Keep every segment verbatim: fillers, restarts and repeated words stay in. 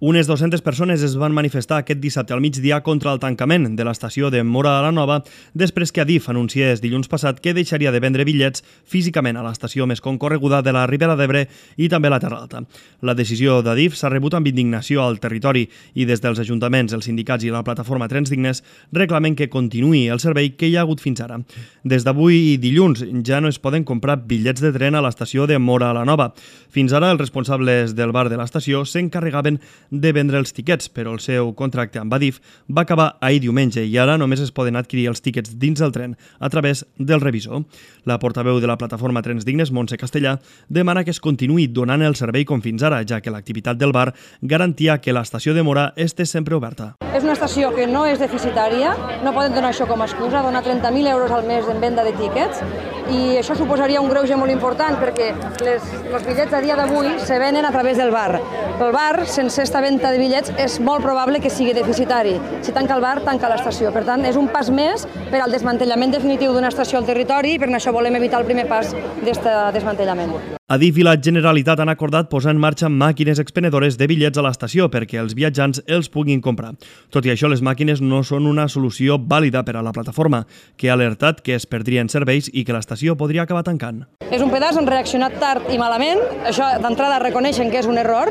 Unes dues-centes persones es van manifestar aquest dissabte al migdia contra el tancament de l'estació de Móra la Nova després que Adif anunciés dilluns passat que deixaria de vendre bitllets físicament a l'estació més concorreguda de la Ribera d'Ebre i també a la Terra Alta. La decisió d'Adif s'ha rebut amb indignació al territori i des dels ajuntaments, els sindicats i la plataforma Trens Dignes reclamen que continuï el servei que hi ha hagut fins ara. Des d'avui i dilluns ja no es poden comprar bitllets de tren a l'estació de Móra la Nova. Fins ara els responsables del bar de l'estació s'encarregaven de vendre els tiquets, però el seu contracte amb Adif va acabar ahir diumenge i ara només es poden adquirir els tiquets dins del tren a través del revisor. La portaveu de la plataforma Trens Dignes, Montse Castellà, demana que es continuï donant el servei com fins ara, ja que l'activitat del bar garantia que l'estació de Móra estés sempre oberta. És una estació que no és deficitària, no poden donar això com a excusa, donar trenta mil euros al mes en venda de tiquets, i això suposaria un greuge molt important perquè les, els bitllets a dia d'avui se venen a través del bar. El bar, sense esta venda de bitllets, és molt probable que sigui deficitari. Si tanca el bar, tanca l'estació. Per tant, és un pas més per al desmantellament definitiu d'una estació al territori i per això volem evitar el primer pas d'aquest desmantellament. Adif i la Generalitat han acordat posar en marxa màquines expenedores de bitllets a l'estació perquè els viatjants els puguin comprar. Tot i això, les màquines no són una solució vàlida per a la plataforma, que ha alertat que es perdrien serveis i que l'estació podria acabar tancant. És un pedaç, han reaccionat tard i malament, això d'entrada reconeixen que és un error,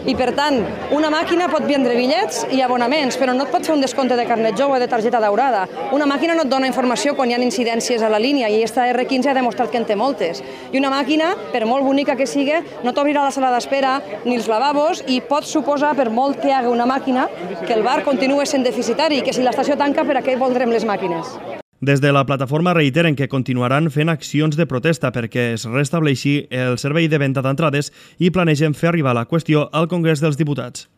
i per tant, una màquina pot vendre bitllets i abonaments, però no et pot fer un descompte de carnet jove o de targeta daurada. Una màquina no et dona informació quan hi ha incidències a la línia i esta erre quinze ha demostrat que en té moltes. I una màquina, per molt bonica que sigui, no t'obrirà la sala d'espera ni els lavabos i pot suposar, per molt que hi hagi una màquina, que el bar continua sent deficitari i que si l'estació tanca, per a què voldrem les màquines? Des de la plataforma reiteren que continuaran fent accions de protesta perquè es restableixi el servei de venda d'entrades i planegen fer arribar la qüestió al Congrés dels Diputats.